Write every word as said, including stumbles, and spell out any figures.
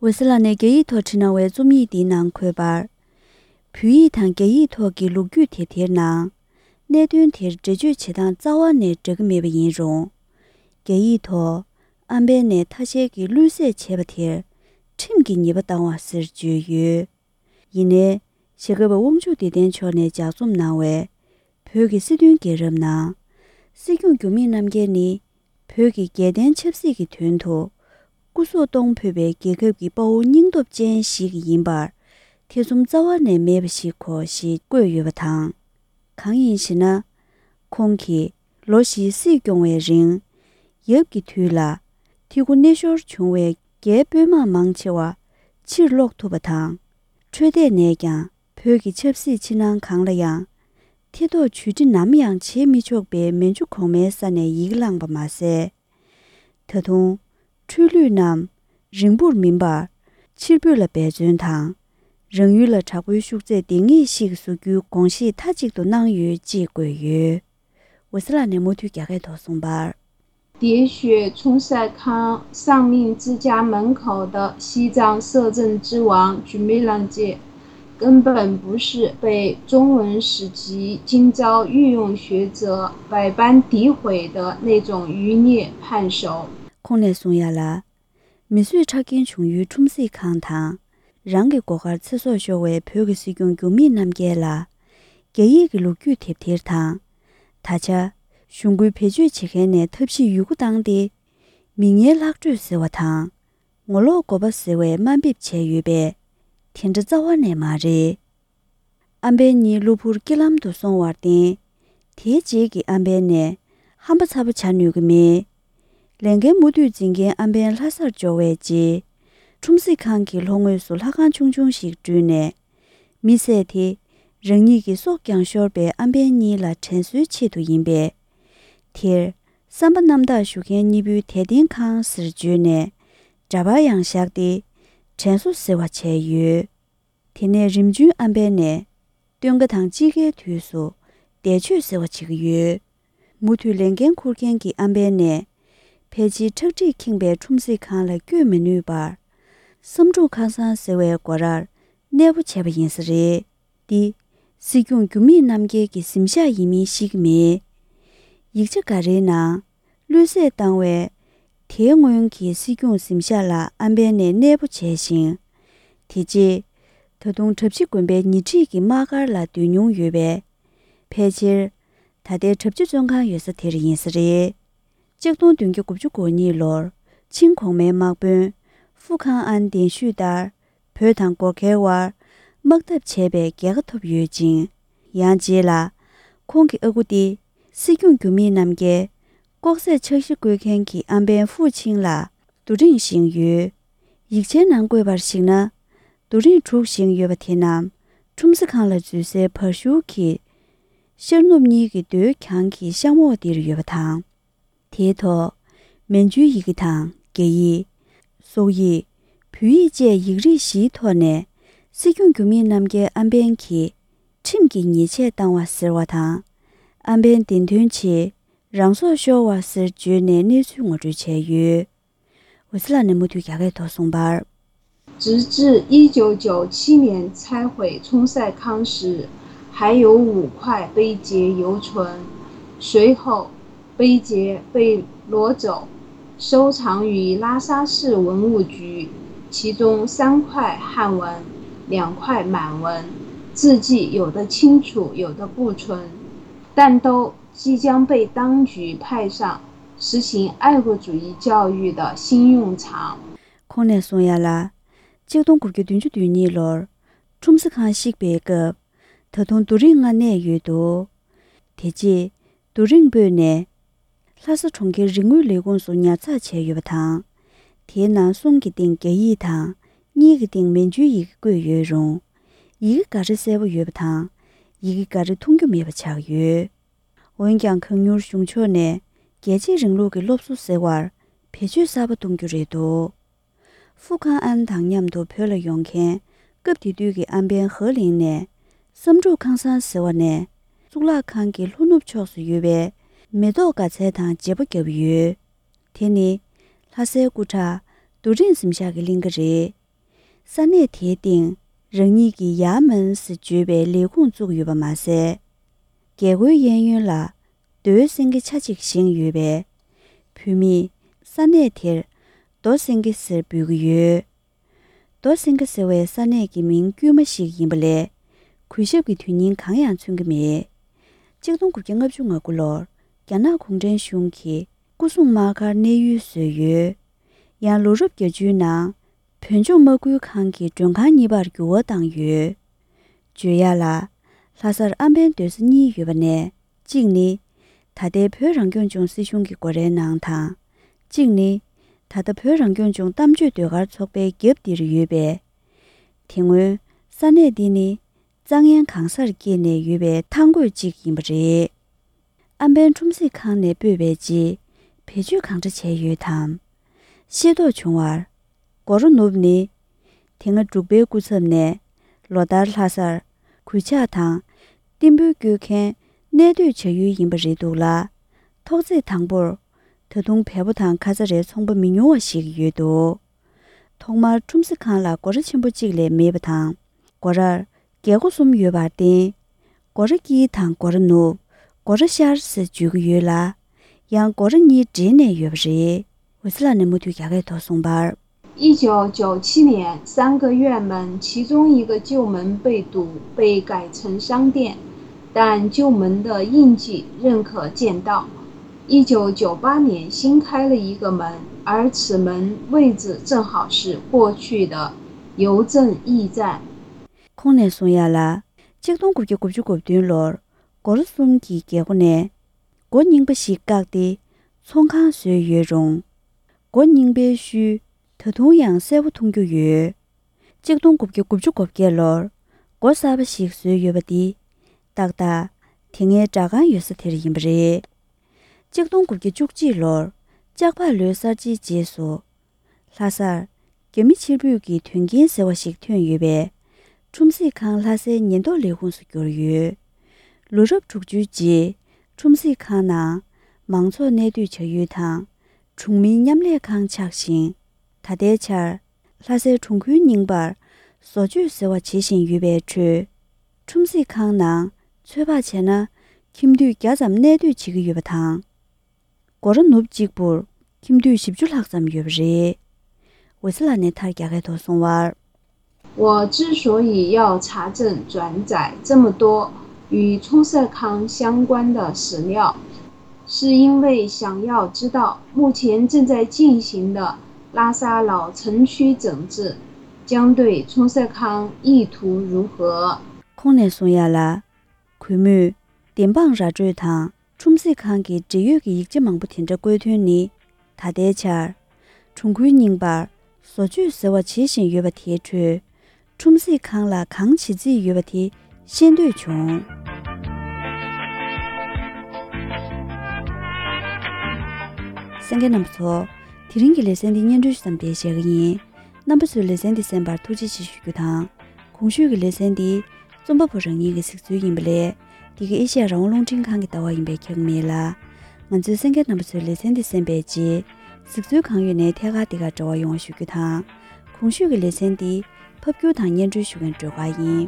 འོད་ཟེར་ལགས་ནས་རྒྱ་ཡིག་ཐོག་བྲིས་གནང་བའི་རྩོམ་ཡིག་འདིའི་ནང་འཁོད་པར། བོད་ཡིག་དང་རྒྱ་ཡིག་ཐོག་གི་ལོ་རྒྱུས་དེབ་ཐེར་ནང་། གནད་དོན་དེར་འགྲེལ་བརྗོད་བྱེད་སྟངས་རྩ་བ་ནས་འདྲ་གི་མེད་པ་ཡིན་རུང་། རྒྱ་ཡིག་ཐོག་ཨམ་བན་ནས་ཐ་ཤལ་གྱིས་བློས་བསད་བྱས་པ་དེར་ཁྲིམས་ཀྱི་ཉེས་པ་བཏང་བ་ཟེར་བརྗོད་ཡོད། ཡིན་ནའི། ཞྭ་སྒབ་པ་དབང་ཕྱུག་བདེ་ལྡན་མཆོག་ནས་ལྗགས་རྩོམ་གནང་བའི་བོད་ཀྱི་སྲིད་དོན་རྒྱལ་རབས་ནང་། སྲིད་སྐྱོང་འགྱུར་མེད་རྣམ་རྒྱལ་ནི་བོད་ཀྱི་རྒྱལ་བསྟན་ཆབ་སྲིད་ཀྱི་དོན་དུ་སྐུ་སྲོག་གཏོང་ཕོད་པའི་རྒྱལ་ཁབ་ཀྱི་དཔའ་བོ་སྙིང་སྟོབས་ཅན་ཞིག་ཡིན་པར་ཐེ་ཚོམ་རྩ་བ་ནས་མེད་པ་ཞིག་གོ་ཞེས་བཀོད་ཡོད་པ་དང་། གང་ཡིན་ཞེ་ན། ཁོང་གིས་ལོ་བཞིའི་སྲིད་སྐྱོང་བའི་རིང་། ཡབ་ཀྱི་དུས་ལ་ཐི་གུ་སྣེ་ཤོར་བྱུང་བའི་རྒྱའི་དཔོན་དམག་མང་ཆེ་བ་ཕྱིར་སློག་ཐུབ་པ་དང་། འཕྲོད་བསྟེན་ནས་ཀྱང་བོད་ཀྱི་ཆབ་སྲིད་ཕྱི་ནང་གང་ལ་ཡང་ཐེ་གཏོགས་ཇུས་འབྲི་ནམ་ཡང་བྱེད་མི་ཆོག་པའི་མན་ཇུ་གོང་མའི་ས་ནས་ཡི་གེ་བླངས་པ་མ་ཟད། ད་དུང་། འཕྲོས་ལུས་རྣམས་རིང་པོར་མིན་པར་ཕྱིར་འབུད་ལ་འབད་བརྩོན་དང་། རང་ཡུལ་ལ་དྲག་པོའི་ཤུགས་ཚད་ལྡན་ངེས་ཤིག་བཟོ་རྒྱུའི་དགོངས་བཞེས་མཐའ་གཅིག་ཏུ་གནང་ཡོད་ཅེས་བཀོད་ཡོད། འོད་ཟེར་ལགས་ནས་མུ་མཐུད་རྒྱ་སྐད་ཐོག་གསུངས་པར། 喋血冲赛康丧命之家门口的西藏摄政之王 Jumilangje 根本不是被中文史籍今朝御用学者百般诋毁的那种余孽叛首。 ཁོང་ནས་གསུང་ཡ་ལ། མི་གསོད་ཁྲག་འགེངས་བྱུང་ཡུལ་ཁྲུམ་སྲི་ཁང་དང་། རང་གི་སྒོ་ཁར་ཚེ་སྲོག་ཤོར་བའི་བོད་ཀྱི་སྲིད་སྐྱོང་འགྱུར་མེད་རྣམ་རྒྱལ་ལ། རྒྱ་ཡིག་གི་ལོ་རྒྱུས་དེབ་ཐེར་དང་། ད་ཆ། གཞུང་རྒོལ་བེད་སྤྱོད་བྱེད་མཁན་ནས་ཐབས་ཤེས་ཡོད་རྒུ་བཏང་སྟེ། མི་ངན་ལྷག་སྤྲོད་ཟེར་བ་དང་། ངོ་ལོག་འགོ་པ་ཟེར་བའི་དམའ་འབེབས་བྱས་ཡོད་པས། དེ་འདྲ་རྩ་བ་ནས་མ་རེད། ཨམ་བན་གཉིས་གློ་བུར་རྐྱེན་ལམ་དུ་སོང་བར་བརྟེན། དེའི་རྗེས་ཀྱི་ཨམ་བན་ནས་ཧམ་པ་ཚ་པོ་བྱ་ནུས་ཀྱི་མེད། ལས་འགན་མུ་མཐུད་འཛིན་མཁན་ཨམ་བན་ལྷ་སར་འབྱོར་བའི་རྗེས། ཁྲུམ་སྲི་ཁང་གི་ལྷོ་ངོས་སུ་ལྷ་ཁང་ཆུང་ཆུང་ཞིག་བསྐྲུན་ནས། མི་བསད་དེ། རང་ཉིད་ཀྱི་སྲོག་ཀྱང་ཤོར་པའི་ཨམ་བན་གཉིས་ལ་དྲན་གསོའི་ཆེད་དུ་ཡིན་པས། དེར། བསམ་པ་རྣམ་དག་ཞུ་མཁན་གཉིས་པོའི་དད་རྟེན་ཁང་ཟེར་བརྗོད་ནས། འདྲ་པར་ཡང་བཞག་སྟེ། དྲན་གསོ་ཟེར་བ་བྱས་ཡོད། དེ་ནས་རིམ་བྱོན་ཨམ་བན་ནས། སྟོན་ཁ་དང་དཔྱིད་ཀའི་དུས་སུ། འདས་མཆོད་ཟེར་བ་བྱེད་ཀྱི་ཡོད། མུ་མཐུད་ལས་འགན་འཁུར་མཁན་གྱི་ཨམ་བན་ནས། ཕལ་ཆེར་ཁྲག་དྲིས་ཁེངས་པའི་ཁྲུམ་སྲི་ཁང་ལ་བསྐྱོད་མི་ནུས་པར། བསམ་འགྲུབ་ཁང་བཟང་ཟེར་བའི་སྒོ་རར། གནས་སྤོ་བྱས་པ་ཡིན་ས་རེད། འདི། སྲིད་སྐྱོང་འགྱུར་མེད་རྣམ་རྒྱལ་གྱི་གཟིམ་ཤག་ཡིན་མིན་ཤེས་ཀྱི་མེད། ཡིག་ཆ་འགའ་རེའི་ནང་། བློས་བསད་བཏང་བའི། དེའི་སྔོན་གྱི་སྲིད་སྐྱོང་གཟིམ་ཤག་ལ་ཨམ་བན་ནས་གནས་སྤོ་བྱས་ཤིང་། དེ་རྗེས། ད་དུང་གྲྭ་བཞི་དགོན་པའི་ཉེ་འཁྲིས་ཀྱི་དམག་སྒར་ལ་སྡོད་མྱོང་ཡོད་པས། ཕལ་ཆེར། ད་ལྟའི་གྲྭ་བཞི་བཙོན་ཁང་ཡོད་ས་དེར་ཡིན་ས་རེད། ཆིག་སྟོང་བདུན་བརྒྱ་དགུ་བཅུ་གོ་གཉིས་ལོར། ཆིང་གོང་མའི་དམག་དཔོན། ཧྥུ་ཁང་ཨན་གདན་ཞུས་ལྟར། བོད་དང་གོར་ཁའི་དབར། དམག་འཐབ་བྱས་པའི་རྒྱལ་ཁ་ཐོབ་ཡོད་ཅིང་། ཡང་རྗེས་ལ། ཁོང་གི་ཨ་ཁུ་སྟེ། སྲིད་སྐྱོང་འགྱུར་མེད་རྣམ་རྒྱལ། ལྐོག་ཟས་ཆག་གཞི་བཀོལ་མཁན་གྱི་ཨམ་བན་ཧྥུ་ཆིང་ལ། རྡོ་རིང་བཞེངས་ཡོད། ཡིག་ཆའི་ནང་བཀོད་པར་གཞིགས་ན། རྡོ་རིང་དྲུག་བཞེངས་ཡོད་པ་དེ་རྣམས། ཁྲུམ་སྲི་ཁང་ལ་འཛུལ་སའི་བར་ཤུལ་གྱི། ཤར་ནུབ་གཉིས་ཀྱི་རྡོའི་གྱང་གི་གཤམ་འོག་འདིར་ཡོད་པ་དང་། དེའི་ཐོག་མན་ཇུའི་ཡི་གེ་དང་རྒྱ་ཡིག་སོག་ཡིག་བོད་ཡིག་བཅས་ཡིག་རིགས་བཞིའི་ཐོག་ནས། སྲིད་སྐྱོང་འགྱུར་མེད་རྣམ་རྒྱལ་ཨམ་བན་གྱིས། ཁྲིམས་ཀྱི་ཉེས་ཆད་བཏང་བ་ཟེར་བ་དང་། ཨམ་བན་བདེན་དོན་ཆེད། རང་སྲོག་ཤོར་བ་ཟེར་བརྗོད་ནས་གནས་ཚུལ་ངོ་སྤྲོད་བྱས་ཡོད། འོད་ཟེར་ལགས་ནས་མུ་མཐུད་རྒྱ་སྐད་ཐོག་གསུངས་པར། 直至一九九七年拆毁冲赛康时，还有五块碑碣犹存。随后，碑碣被挪走，收藏于拉萨市文物局，其中三块汉文，两块满文，字迹有的清楚，有的不存，但都即将被当局派上实行爱国主义教育的新用场。 ཁོང་ནས་གསུངས་ཡ་ལ། ཆིག་སྟོང་དགུ་བརྒྱ་བདུན་ཅུ་དོན་གཉིས་ལོར། ཁྲུམ་སྲི་ཁང་བཤིག་པའི་སྐབས། ད་དུང་རྡོ་རིང་ལྔ་གནས་ཡོད་འདུག་དེ་རྗེས། རྡོ་རིང་སྤོས་ནས། ལྷ་ས་གྲོང་ཁྱེར་རིག་དངོས་ལས་ཁུངས་སུ་ཉར་ཚགས་བྱས་ཡོད་པ་དང་། དེའི་ནང་གསུམ་གྱི་སྟེང་རྒྱ་ཡིག་དང་། གཉིས་ཀྱི་སྟེང་མན་ཇུའི་ཡི་གེ་བཀོད་ཡོད་རུང་། ཡི་གེ་འགའ་རེ་གསལ་པོ་ཡོད་པ་དང་། ཡི་གེ་འགའ་རེ་མཐོང་རྒྱུ་མེད་པ་ཆགས་ཡོད། འོན་ཀྱང་གང་མྱུར་གཞུང་ཕྱོགས་ནས་རྒྱལ་གཅེས་རིང་ལུགས་ཀྱི་སློབ་གསོ་ཟེར་བར་བེད་སྤྱོད་གསར་པ་གཏོང་རྒྱུ་རེད་འདུག་ཧྥུ་ཁང་ཨན་དང་མཉམ་དུ་བོད་ལ་ཡོང་མཁན་སྐབས་དེ་དུས་ཀྱི་ཨམ་བན་ཧེ་ལིང་ནས་བསམ་འགྲུབ་ཁང་བཟང་ཟེར་བ་ནས་གཙུག་ལག་ཁང་གི་ལྷོ་ནུབ་ཕྱོགས་སུ་ཡོད་པའི་མེ་ཏོག་དགའ་ཚལ་དང་བརྗེ་པོ་བརྒྱབ་ཡོད། དེ་ནི་ལྷ་སའི་སྐུ་དྲག་རྡོ་རིང་གཟིམ་ཤག་གི་གླིང་ག་རེད། ས་གནས་དེའི་སྟེང་རང་ཉིད་ཀྱི་ཡ་མན་ཟེར་བརྗོད་པའི་ལས་ཁུངས་བཙུགས་ཡོད་པ་མ་ཟད། རྒྱལ་སྒོའི་གཡས་གཡོན་ལ་རྡོའི་སེང་གེ་ཆ་གཅིག་བཞེངས་ཡོད་པས། བོད་མིས་ས་གནས་དེར་རྡོ་སེང་གེ་ཟེར་འབོད་ཀྱི་ཡོད། རྡོ་སེང་གེ་ཟེར་བའི་ས་གནས་ཀྱི་མིང་དཀྱུས་མ་ཞིག་ཡིན་པ་ལས། གུས་ཞབས་ཀྱི་དོན་སྙིང་གང་ཡང་མཚོན་གྱི་མེད། གཅིག་སྟོང་དགུ་བརྒྱ་ལྔ་བཅུ་ང་དགུ་ལོར་རྒྱ་ནག་གུང་ཁྲན་གཞུང་གིས་སྐུ་སྲུང་དམག་སྒར་གནས་ཡུལ་བཟོས་ཡོད། ཡང་ལོ་རབས་བརྒྱད་ཅུའི་ནང་བོད་ལྗོངས་དམག་ཁུལ་ཁང་གི་མགྲོན་ཁང་གཉིས་པར་འགྱུར་བ་བཏང་ཡོད། བརྗོད་ཡག་ལ། ལྷ་སར་ཨམ་བན་སྡོད་ས་གཉིས་ཡོད་པ་ནས། གཅིག་ནི། ད་ལྟའི་བོད་རང་སྐྱོང་ལྗོངས་སྲིད་གཞུང་གི་སྒོ་རའི་ནང་དང་། གཅིག་ནི། ད་ལྟ་བོད་རང་སྐྱོང་ལྗོངས་གཏམ་བརྗོད་ཟློས་གར་ཚོགས་པའི་རྒྱབ་འདིར་ཡོད་པས། དེ་སྔོན་ས་གནས་འདི་ནི་རྩྭ་ངན་གང་སར་སྐྱེས་ནས་ཡོད་པའི་ཐང་རྒོད་ཅིག་ཡིན་པ་རེད། ཨམ་བན་ཁྲོམ་གཟིགས་ཁང་ནས་སྤོས་པའི་རྗེས་བེད་སྤྱོད་གང་འདྲ་བྱས་ཡོད་དམ། ཤེས་རྟོགས་བྱུང་བར། སྒོ་ར་ནུབ་ནི། དེ་སྔ་འབྲུག་པའི་སྐུ་ཚབ་ནས་ལོ་ལྟར་ལྷ་སར་གུས་ཕྱག་དང་རྟེན་འབུལ་སྐྱོད་མཁན་གནས་སྡོད་བྱ་ཡུལ་ཡིན་པ་རེད་འདུག་ལ། ཐོག་བརྩེགས་དང་པོར་ད་དུང་བལ་པོ་དང་ཁ་ཚ་རའི་ཚོང་པ་མི་ཉུང་བ་ཞིག་ཡོད་འདུག་ཐོག་མར་ཁྲོམ་གཟིགས་ཁང་ལ་སྒོ་ར་ཆེན་པོ་གཅིག་ལས་མེད་པ་དང་། སྒོ་རར་རྒྱལ་སྒོ་གསུམ་ཡོད་པར་བརྟེན། སྒོ་ར་དཀྱིལ་དང་སྒོ་ར་ནུབ། སྒོ་ར་ཤར་ཟེར་བརྗོད་ཀྱི་ཡོད་ལ། ཡང་སྒོ་ར་གཉིས་འདྲེས་ནས་ཡོད་པ་རེད། འོད་ཟེར་ལགས་ནས་མུ་མཐུད་རྒྱ་སྐད་ཐོག་གསུངས་པར། 一九九七年，三个院门其中一个旧门被堵，被改成商店，但旧门的印记仍可见到。一九九八年新开了一个门，而此门位置正好是过去的邮政驿站。 ཁོང་ནས་གསུང་ཡག་ལ། གཅིག་སྟོང་དགུ་བརྒྱ་དགུ་བཅུ་གོ་བདུན་ལོར་སྒོ་ར་གསུམ་གྱི་རྒྱལ་སྒོ་ནས་སྒོ་རྙིང་པ་ཞིག་བཀག་སྟེ་ཚོང་ཁང་བཟོས་ཡོད་རུང་། སྒོ་རྙིང་པའི་ཤུལ་ད་དུང་ཡང་གསལ་པོ་མཐོང་རྒྱུ་ཡོད། གཅིག་སྟོང་དགུ་བརྒྱ་དགུ་བཅུ་གོ་བརྒྱད་ལོར་སྒོ་གསར་པ་ཞིག་བཟོས་ཡོད་པ་འདི་ཏག་ཏག་དེ་སྔའི་སྦྲག་ཁང་ཡོད་ས་དེར་ཡིན་པ་རེད། གཅིག་སྟོང་དགུ་བརྒྱ་བཅུ་གཅིག་ལོར་ལྕགས་ཕག་ལོའི་གསར་བརྗེའི་རྗེས་སུ། ལྷ་སར་རྒྱ་མི་ཕྱིར་འབུད་ཀྱི་དོན་རྐྱེན་ཟེར་བ་ཞིག་ཐོན་ཡོད་པས། ཁྲོམ་གཟིགས་ཁང་ལྷ་སའི་ཉེན་རྟོག་ལས་ཁུངས་སུ་གྱུར་ཡོད། ལོ་རབས་དྲུག་ཅུའི་རྗེས་ཁྲོམ་གཟིགས་ཁང་ནང་མང་ཚོགས་གནས་སྡོད་བྱ་ཡུལ་དང་གྲོང་མིའི་མཉམ་ལས་ཁང་ཆགས་ཤིང་། ད་ལྟའི་ཆར་ལྷ་སའི་གྲོང་ཁུལ་རྙིང་པར་བཟོ་བཅོས་ཟེར་བ་བྱེད་བཞིན་ཡོད་པའི་ཁྲོད། ཁྲོམ་གཟིགས་ཁང་ནང་ཚོད་དཔག་བྱས་ན་ཁྱིམ་དུད་བརྒྱ་ཙམ་གནས་སྡོད་བྱེད་ཀྱི་ཡོད་པ་དང་། སྒོ་ར་ནུབ་གཅིག་པུར་ཁྱིམ་དུད་བཞི་བཅུ་ལྷག་ཙམ་ཡོད་པ་རེད། འོད་ཟེར་ལགས་ནས་མཐར་རྒྱ་སྐད་ཐོག་གསུང་བར། 我之所以要查证转载这么多与冲社康相关的史料，是因为想要知道目前正在进行的拉萨老城区整治将对冲社康意图如何。 ཁོང་ནས་གསུང་ཡག་ལ། གུས་མོས་བདེན་དཔང་ར་སྤྲོད་དང་ཁྲོམ་གཟིགས་ཁང་གི་འབྲེལ་ཡོད་ཀྱི་ཡིག་ཆ་མང་པོ་དེ་འདྲ་བཀོད་དོན་ནི། ད་ལྟའི་ཆར་གྲོང་ཁུལ་རྙིང་པར་བཟོ་བཅོས་ཟེར་བ་བྱེད་བཞིན་ཡོད་པ་དེའི་ཁྲོད། ཁྲོམ་གཟིགས་ཁང་ལ་གང་བྱེད་རྩིས་ཡོད་པ་དེ་ཤེས་འདོད་བྱུང་། གསན་མཁན་རྣམ་པ་ཚོ། དེ་རིང་གི་ལེ་ཚན་འདི་སྙན་སྒྲོན་ཞུ་མཚམས་འདིར་བཞག་གི་ཡིན། རྣམ་པ་ཚོས་ལེ་ཚན་འདི་གསན་པར་ཐུགས་རྗེ་ཆེ་ཞུ་རྒྱུ་དང་། གོང་ཞུས་ཀྱི་ལེ་ཚན་འདི་རྩོམ་པ་པོ་རང་ཉིད་ཀྱི་གཟིགས་ཚུལ་ཡིན་པ་ལས། འདི་ག་ཨེ་ཤ་ཡ་རང་དབང་རླུང་འཕྲིན་ཁང་གི་ལྟ་བ་ཡིན་པས་ཁྱབ་མེད་ལ། ང་ཚོའི་གསན་མཁན་རྣམ་པ་ཚོས་ལེ་ཚན་འདི་གསན་པའི་རྗེས། གཟིགས་ཚུལ་གང་ཡོད་ནས་ཐད་ཀར་འདི་གར་འབྲེལ་བ་ཡོང་བ་ཞུ་རྒྱུ་དང་། གོང་ཞུས་ཀྱི་ལེ་ཚན་འདི་ཕབ་སྒྱུར་དང་སྙན་སྒྲོན་ཞུ་མཁན་སྒྲོལ་དཀར་ཡིན།